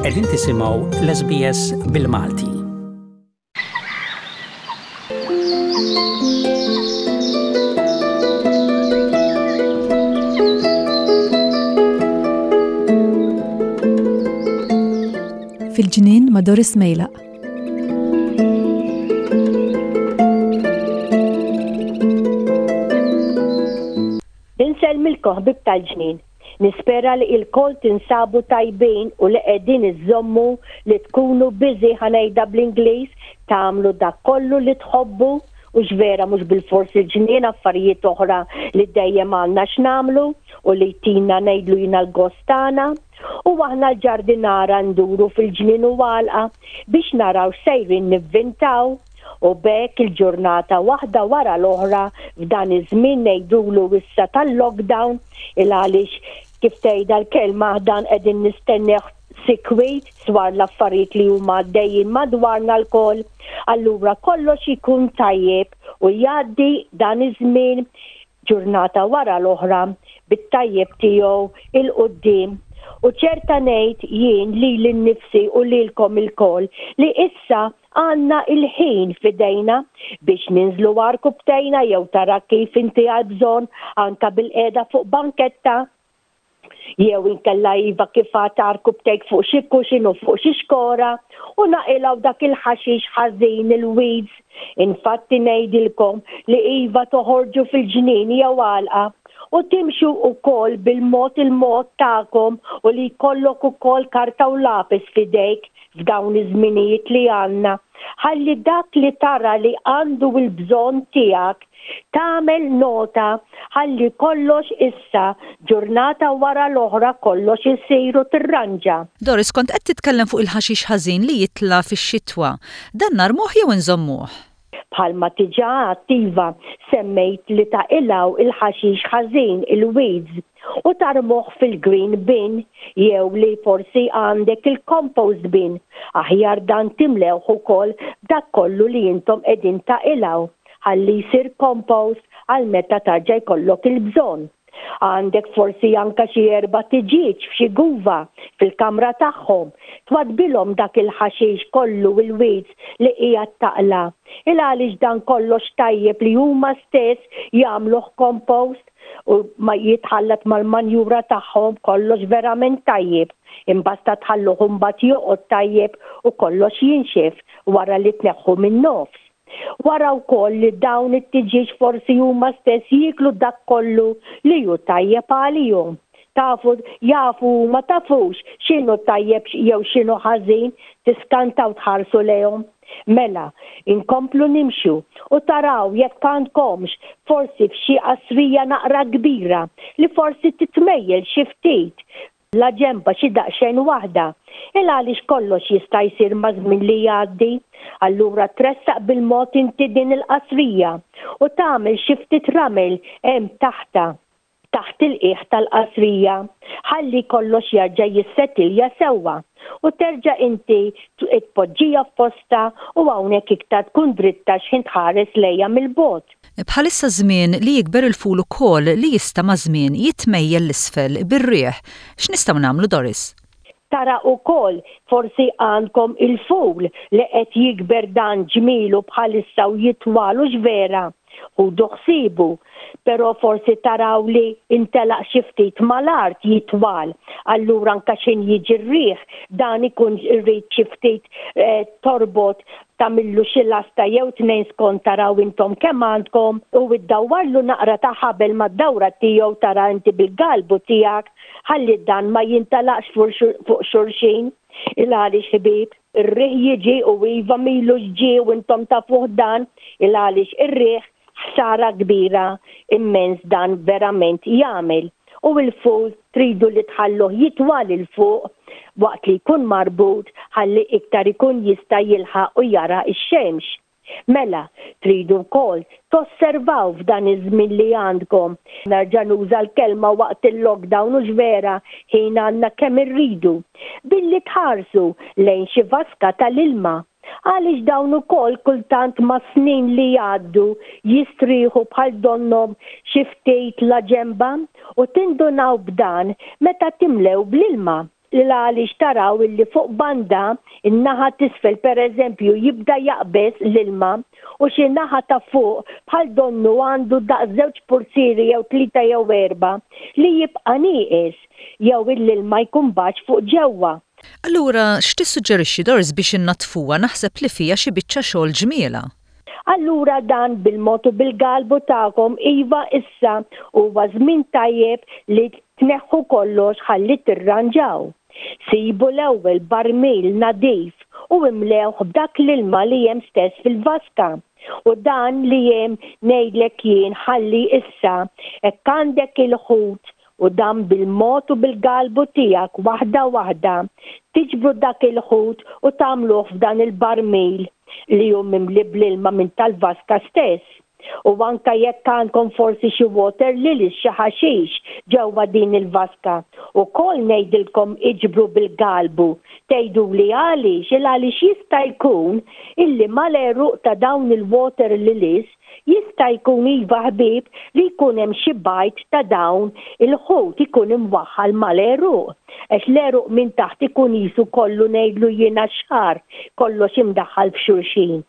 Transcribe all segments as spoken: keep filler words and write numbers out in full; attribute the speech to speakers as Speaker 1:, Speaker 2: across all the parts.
Speaker 1: Qegħdin tisimgħu l-S B S bil-Malti.
Speaker 2: Fil-ġnien ma' Doris Mejlaq.
Speaker 3: Insellmilkom, ħbieb tal-ġnien. Nispera li lkoll tinsabu tajbin u li qegħdin iżommu li tkunu busy, ħa ngħidha bl-Ingliż, tagħmlu dak kollu li tħobbu u x'vera mhux bil-fors il-ġnien, affarijiet oħra li dejjem għandna x'nagħmlu u li tina ngħidlu jiena l-gost tagħna. U aħna l-ġardinara nduru fil-ġnien u għalqa biex naraw sejrin nivvintaw u b'hekk il-ġurnata waħda wara l-oħra f'dan iż-żmien ngħidulu issa tal-lockdown, il għaliex kif tgħidha l-kelma dan qegħdin nistennew sikwit dwar l-affarijiet li huma għaddejjin madwarna lkoll, allura kollox ikun tajjeb u jgħaddi dan iż-żmien ġurnata wara l-oħra bit-tajjeb tiegħu 'l quddiem. U ċerta ngħid jien lili nnifsi u lilkom ilkoll li issa għandna il-ħin f'idejna biex ninżlu għarkupptejna jew tara kif inti għal bżonn, anka bilqiegħda fuq banketta jew inkella iva kif għarkupptejk fuq xi cushion u fuq xi xkora u naqilgħu dak il-ħaxix ħażin, il-weeds. Infatti ngħidilkom li iva toħorġu fil-ġnien jew għalqa u timxu ukoll bil-mod il-mod tagħkom u li jkollok ukoll karta u lapis f'idejk f'dawn iż-żminijiet li għandna. Ħalli dak li tara li għandu il-bżonn tiegħek tagħmel nota ħalli kollox issa ġurnata wara l-oħra kollox isir u tirranġa.
Speaker 4: Doris, kont qed titkellem fuq il-ħaxix ħażin li jitla' fix-xitwa. Dan narmuh jew nżommuh?
Speaker 3: Bħalma diġà attiva semmejt li taqilgħu il-ħaxix ħażin, il-weeds, u tarmuh fil-green bin jew li forsi għandek il-compost bin. Aħjar dan timlewh ukoll dak kollu li intom qegħdin taqilgħu ħalli jsir compost għal meta terġa' jkollok il-bżonn. Għandek forsi anka xi erba' tiġiġ f'xi guva fil-kamra tagħhom. Twaddbilhom dak il-ħaxix kollu, il-weeds li qiegħed taqla'. Il għaliex dan kollox tajjeb li huma stess jagħmluh compost u ma jitħallat mal-manjura tagħhom, kollox verament tajjeb. Imbasta tħalluh imbagħad joqgħod tajjeb u kollox jinxef wara li tneħħu min-nofs. Wara wkoll li dawn it-tiġiġ forsi huma stess jieklu dak kollu li hu tajjeb għalihom. Tafu, jafu, ma tafux x'inhu tajjeb jew x'inhu ħażin, tiskantaw tħarsu lejhom. Mela, inkomplu nimxu u taraw jekk għandkomx forsi f'xi qasrija naqra kbira li forsi titmejjel xi ftit la ġemba xi daqsxejn waħda. Il għaliex kollox jista' jsir ma' żmien li jgħaddi, allura tressaq bil-mod inti din il-qasrija u tagħmel xi ftit ramel hemm taħta, taħt il-qiegħ tal-qasrija, ħalli kollox jarġa' jissetilja sewwa u terġa' inti tpoġġija f'posta u hawnhekk iktar tkun dritta x'ħin tħares lejha mill-bogħod.
Speaker 4: Bħalissa żmien li jikber il-ful ukoll li jista' ma' żmien jitmejjel 'l isfel bir-riħ. X'nistgħu nagħmlu, Doris?
Speaker 3: Tara ukoll forsi għandkom il-ful li qed jikber dan ġmielu bħalissa u jitwalu x'vera. Ħudu ħsiebu, però forsi taraw li intelaq xi ftit mal-art jitwal. Allura anka x'ħin jiġi r-riħ dan ikun irrid xi ftit eh, torbot, tagħmillu xi lasta jew tnejn skont taraw intom kemm għandkom u iddawwarlu naqra ta' ħabel mad-dawra tiegħu, tara inti bil-galbu tiegħek, ħalli dan ma jintalaqx fuq xulxin. Il għaliex, ħbieb, ir-riħ jiġi u iva milu ġi u intom tafuh dan, il għaliex ir-riħ ħsara kbira immens dan verament jagħmel. U il-ful tridu li tħalluh jitwal 'il fuq waqt li jkun marbut ħalli iktar ikun jista' jilħaq u jara x-xemx. Mela, tridu wkoll tosservaw f'dan iż-żmien li għandkom. Nerġa' nuża l-kelma waqt il-lockdown u vera ħin għandna kemm irridu. Billi tħarsu lejn xi vaska tal-ilma. Għaliex dawn ukoll kultant ma' snin li jgħaddu jistrieħu bħal donnom xi ftit la ġemba u tindunaw b'dan meta timlew bl-ilma. Għaliex taraw illi fuq banda in-naħa t'isfel pereżempju jibda jaqbeż l-ilma u xi naħa ta' fuq bħal donnu għandu daqs żewġ purzieri jew tlieta jew erba' li jibqa' nieqes jew l-ilma jkun baxx fuq ġewwa.
Speaker 4: Allura x'tissuġġerixxi, Doris, biex innaddfuha? Naħseb li fiha xi biċċa xogħol ġmiela.
Speaker 3: Allura dan bil-mod u bil-galbu tagħkom, iva, issa huwa żmien tajjeb li tneħħu kollox ħalli tirranġaw. Sibu l-ewwel barmil nadif u imlewh b'dak l-ilma li hemm stess fil-vaska. U dan li hemm ngħidlek jien ħalli issa hekk għandek il-ħut u dan bil-mod u bil-galbu tiegħek waħda waħda tiġbru dak il-ħut u tagħmluh f'dan il-barmil li hu mimli bl-ilma minn tal-vaska stess. U anka jekk għandkom forsi xi water lilies, xi ħaxix ġewwa din il-vaska, ukoll ngħidilkom iġbru bil-galbu. Tgħiduli għaliex? Il għaliex jista' jkun illi mal-għeruq ta' dawn il-water lilies jista' jkun, iva ħbieb, li jkun hemm xi bajd ta' dawn il-ħut ikun imwaħħal mal-għeruq. Għax l-għeruq minn taħt ikun qisu kollu ngħidlu jiena xagħar, kollox imdaħħal f'xulxin.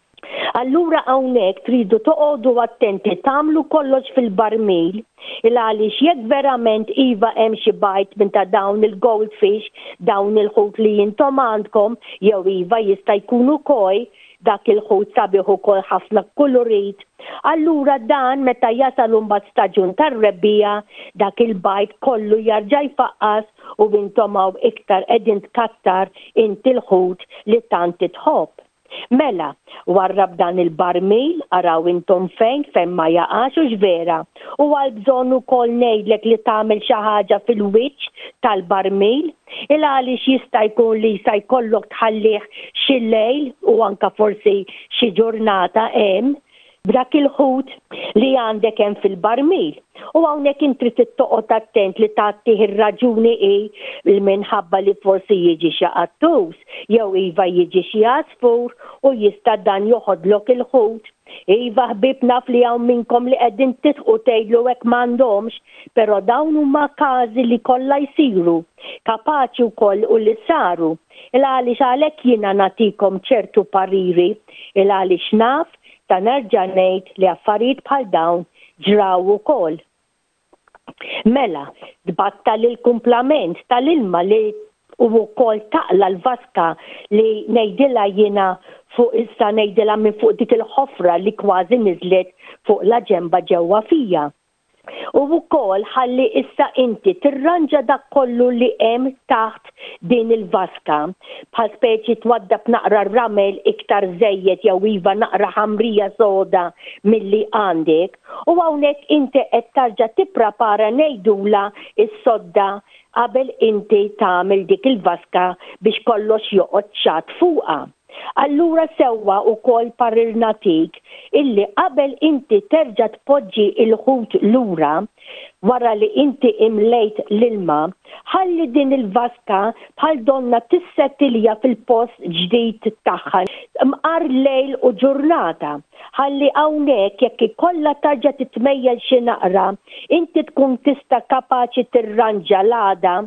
Speaker 3: Allura hawnhekk tridu toqogħdu attenti tagħmlu kollox fil-barmil, il għaliex jekk verament iva hemm xi bajd minn ta' dawn il-goldfish, dawn il-ħut li intom għandkom, jew iva jista' jkun ukoll dak il-ħut sabiħ ukoll ħafna kulurit. Allura dan meta jasal imbagħad staġun tar-rebbiegħa, dak il-bajd kollu jarġa' jfaqqas u intom hawn iktar qegħdin tkattar inti l-ħut li tant tħobb. Mela, warrab dan il-barmil, araw intom fejn, fejn ma jaqax u vera. U għal bżonn ukoll ngħidlek li tagħmel xi ħaġa fil-wiċċ tal-barmil, il għaliex jista' jkun li sa jkollok tħallih xi lejl u anka forsi xi ġurnata hemm b'dak il-ħut li għandek hemm fil-barmil. U hawnhekk inti trid toqgħod attent li tagħtih ir-raġuni hi li minħabba li forsi jiġi xi qattus jew iva jiġi xi għasfur u jista' dan joħodlok il-ħut. Iva ħbieb, naf li hawn minnkom li qegħdin tidħku tgħidlu hekk m'għandhomx, però dawn huma każi li kollha jsiru, kapaċi wkoll u li saru. Il għaliex għalhekk jiena nagħtikom ċertu pariri, il għaliex naf ta' nerġa' ngħid li affarijiet bħal dawn ġraw ukoll. Mela, tbattal il-kumplament tal-ilma li u wkoll taqla l-vaska li ngħidilha jiena fuq issa ngħidilha minn fuq dik il-ħofra li kważi niżlet fuq la ġemba ġewwa fija. U wkoll ħalli issa inti tirranġa dak kollu li hemm taħt din il-vaska, bħal speċi twaddab naqra ramel iktar żejjed jew iva naqra ħamrija soda milli għandek, u hawnhekk inti qed tarġa' tipprepara ngħidula s-sodda qabel inti tagħmel dik il-vaska biex kollox joqgħod ċatt fuqha. Allura sewwa wkoll parir nagħtik illi qabel inti terġa' tpoġġi l-ħut lura wara li inti imlejt l-ilma, ħalli din il-vaska bħal donna tissettilja fil-post ġdid tagħha mqar lejl u ġurnata. Ħalli hawnhekk jekk ikollha tarġa' titmejjel xi naqra, inti tkun tista' kapaċi tirranġa l-għada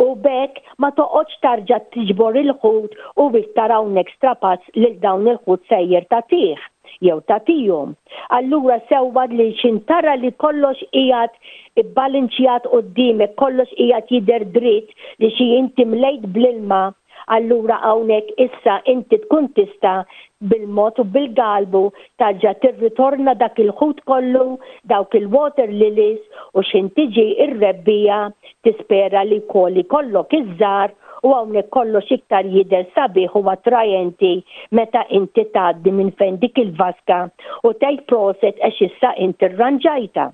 Speaker 3: u b'hekk ma toqgħodx tarġa' tiġbor il-ħut u iktar hawnhekk strapazz lil dawn il-ħut sejjer tagħtih jew tagħtihom. Allura sewwa li x'intara li kollox qiegħed ibbalinċjat quddiemek, kollox qiegħed jidher dritt li xi inti mlejt bl-ilma, allura hawnhekk issa inti tkun tista' bil-mod u bil-galbu tarġa' tirritorna dak il-ħut kollu, dawk il-water lilies, u x'ħin tiġi r-rebbiegħa tispera li wkoll ikollok iż-żgħar u hawnhekk kollox iktar jidher sabiħ u attrajenti meta inti tgħaddi minn fejn dik il-vaska u tgħid proset għax issa inti rranġajtha.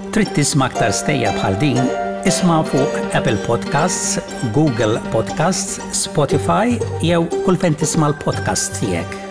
Speaker 1: Trid tisma' aktar stejjer bħal din? Isma' fuq Apple Podcasts, Google Podcasts, Spotify jew kull fejn tisma' l-podcasts tiegħek.